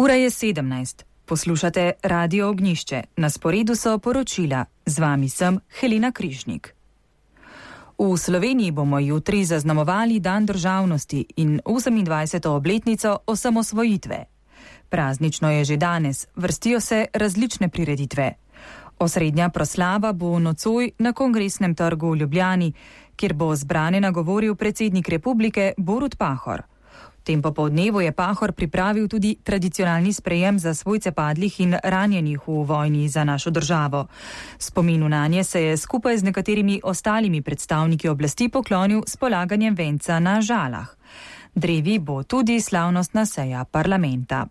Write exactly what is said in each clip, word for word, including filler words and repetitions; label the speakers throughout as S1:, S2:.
S1: Ura je sedemnajst. Poslušate Radio Ognjišče. Na sporedu so poročila. Z vami sem Helena Križnik. V Sloveniji bomo jutri zaznamovali Dan državnosti in osemindvajseto obletnico osamosvojitve. Praznično je že danes, vrstijo se različne prireditve. Osrednja proslava bo nocoj na Kongresnem trgu v Ljubljani, kjer bo zbrane nagovoril predsednik republike Borut Pahor. V tem popoldnevu je Pahor pripravil tudi tradicionalni sprejem za svojce padlih in ranjenih v vojni za našo državo. Spominu nanje se je skupaj z nekaterimi ostalimi predstavniki oblasti poklonil s polaganjem venca na Žalah. Drevi bo tudi slavnostna seja parlamenta.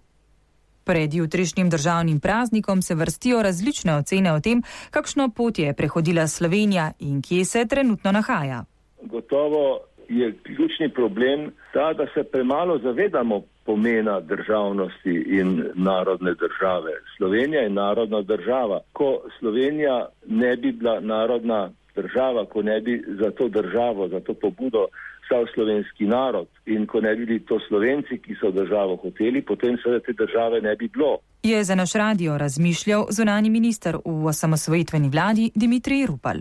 S1: Pred jutrišnjim državnim praznikom se vrstijo različne ocene o tem, kakšno pot je prehodila Slovenija in kje se trenutno nahaja.
S2: Gotovo je ključni problem ta, da se premalo zavedamo pomena državnosti in narodne države. Slovenija je narodna država. Ko Slovenija ne bi bila narodna država, ko ne bi za to državo, za to pobudo stal slovenski narod in ko ne bi bili to Slovenci, ki so državo hoteli, potem seveda te države ne bi bilo.
S1: Je za naš radio razmišljal zunanji minister v osamosvojitveni vladi Dimitrij Rupel.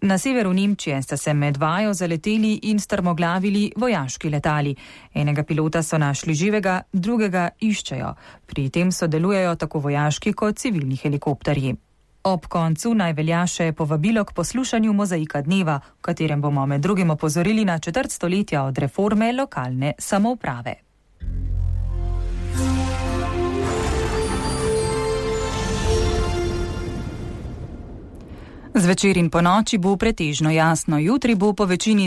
S1: Na severu Nemčije sta se med vajo zaleteli in strmoglavili vojaški letali. Enega pilota so našli živega, drugega iščejo. Pri tem sodelujejo tako vojaški kot civilni helikopterji. Ob koncu naj velja še povabilo k poslušanju Mozaika dneva, v katerem bomo med drugim opozorili na četrt stoletja od reforme lokalne samouprave. Zvečer in ponoči bo pretežno jasno, jutri bo po večini